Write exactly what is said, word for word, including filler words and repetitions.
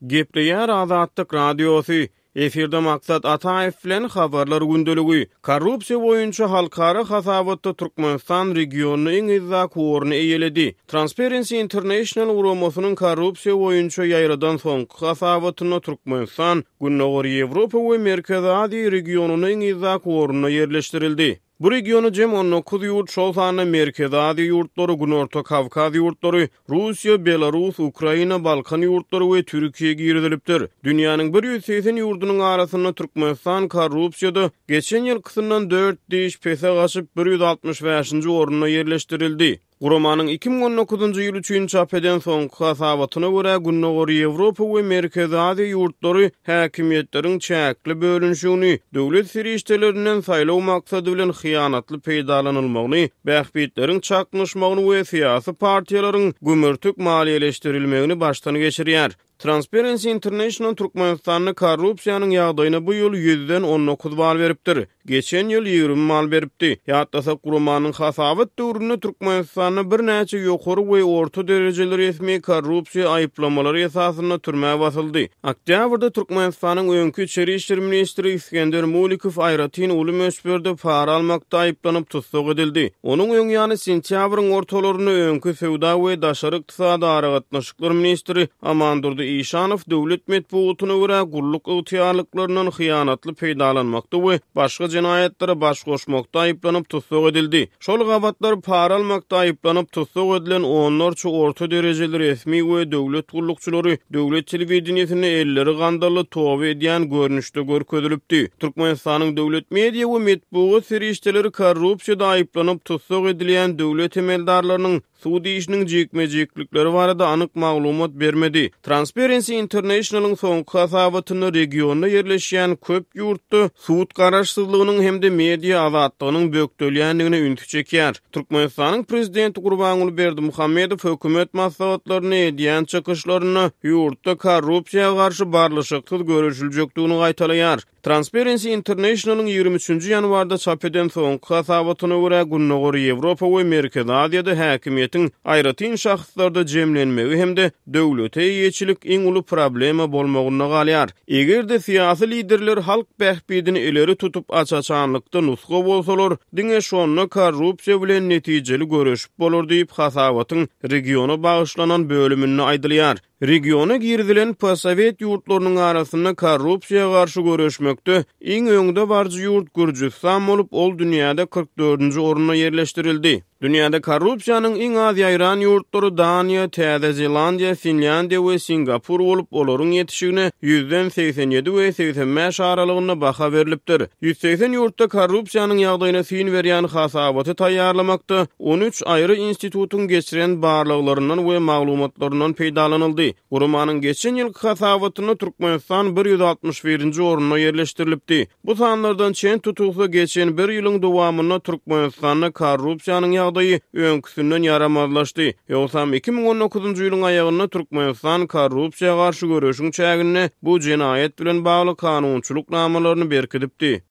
Gepleýär Azatlyk Radiosy. Efirde Maksat Ataýew bilen Habarlar gündeligi. Korrupsiýa boýunça halkara hasabatda Türkmenistan regionda iň yzdaky orny eýeledi. Transparency International guramasynyň korrupsiýa boýunça ýaýradan soňky hasabatynda Türkmenistan Gündogar Ýewropa we Merkezi Aziýa regionynda iň yzdaky orunda ýerleşdirildi. Bu regiona jem on dokuz ýurt, şol sanda Merkezi Aziýa ýurtlary, Günorta Kawkaz ýurtlary, Russiýa, Belarus, Ukraina, Balkan ýurtlary we Türkiýe girizilipdir. Dünýäniň bir ýüz segsen ýurdunyň arasynda Türkmenistan korrupsiýada geçen ýylkysyndan dört diş pese gaçyp, bir ýüz altmyş bäşinji orunda ýerleşdirildi. Guramanyň iki müň on dokuzynjy ýyl üçin çap eden soňky hasabatyna görä, Gündogar Ýewropa we Merkezi Aziýa ýurtlary häkimiýetleriň çäkli bölünişigini, döwlet serişdelerinden saýlaw maksady bilen hyýanatly peýdalanylmagyny, bähbitleriň çaknyşmagyny we syýasy partiýalaryň gümürtik maliýeleşdirilmegini başdan geçirýär. Transparency International Türkmenistanda korrupsiýanyň ýagdaýyna bu ýyl ýüzden on dokuz bal beripdir. Geçen ýyl ýigrimi bal beripdi. Ýatlasak, guramanyň hasabat döwründe Türkmenistanda birnäçe ýokary we orta derejeli resmi korrupsiýa aýyplamalary esasynda türmä basyldy. Oktýabrda Türkmenistanyň öňki içeri işler ministri Isgender Mulikow aýratyn uly möçberde para almakda aýyplanyp tussag edildi. Onuň öň ýany sentýabryň ortalarynda öňki söwda we daşary ykdysady aragatnaşyklar ministri Amandurdy Işanow döwlet metbugatyna görä gulluk ygtyýarlyklaryndan hyýanatly peýdalanmakda we başga jenaýatlara baş goşmakda aýyplanyp tussag edildi. Şol gabatlar para almakda aýyplanyp tussag edilen onlarça orta derejeli resmi we döwlet gullukçylary döwlet telewideniýesinde elleri gandally toba edýän görnüşde görkezilipdi. Türkmenistanyň döwlet media we metbugat serişdeleri korrupsiýada aýyplanyp tussag edilýän döwlet emeldarlarynyň sud işiniň jikme-jiklikleri barada anyk maglumat bermedi. Transparency Internationalyň soňky hasabatynda regionda ýerleşýän köp ýurtda sud garaşsyzlygynyň hem-de media azatlygynyň bökdelýändigine ünsi çekýär. Türkmenistanyň prezidenti Gurbanguly Berdimuhamedow hökümet maslahatlaryny edýän çykyşlarynda ýurtda korrupsiýa garşy barlyşyksyz göreşiljekdigini gaýtalaýar. Transparency Internationalyň ýigrimi üçünji ýanwarda çap eden soňky hasabatyna görä, Gündogar Ýewropa we Merkezi Aziýada häkimiýetiň aýratyn şahslarda jemlenmegi hem-de döwlete eýeçilik iň uly problema bolmagynda galýar. Eger-de syýasy liderler halk bähbidini ileri tutup aç-açanlykda nusga bolsalar, diňe şonda korrupsiýa bilen netijeli göreşip bolar diýip hasabatyň regiona bagyşlanan bölüminde aýdylýar. Regiona girizilen posowet ýurtlarynyň arasynda korrupsiýa garşy göreşmekde iň öňde baryjy ýurt Gürjüstan bolup, ol dünýäde kyrk dördünji orunda ýerleşdirildi. Dünýäde korrupsiýanyň iň az ýaýran ýurtlary Daniýa, Täze Zelandiýa, Finlýandiýa we Singapur bolup, olaryň ýetişigine ýüzden segsen ýedi we segsen bäş aralygynda baha berlipdir. Ýüz segsen ýurtda korrupsiýanyň ýagdaýyna syn berýän hasabaty taýýarlamakda on üç aýry institutyň geçiren barlaglaryndan we maglumatlaryndan peýdalanyldy. Guramanyň geçen ýylky hasabatynda Türkmenistan bir ýüz altmyş birinji orunda ýerleşdirilipdi. Bu sanlardan çen tutulsa, geçen bir ýylyň dowamynda Türkmenistanda korrupsiýanyň ýagdaýy öňküsinden ýaramazlaşdy. Ýogsam iki müň on dokuzynjy ýylyň aýagynda Türkmenistan korrupsiýa garşy göreşiň çäginde bu jenaýat bilen bagly kanunçylyk namalaryny berkidipdi.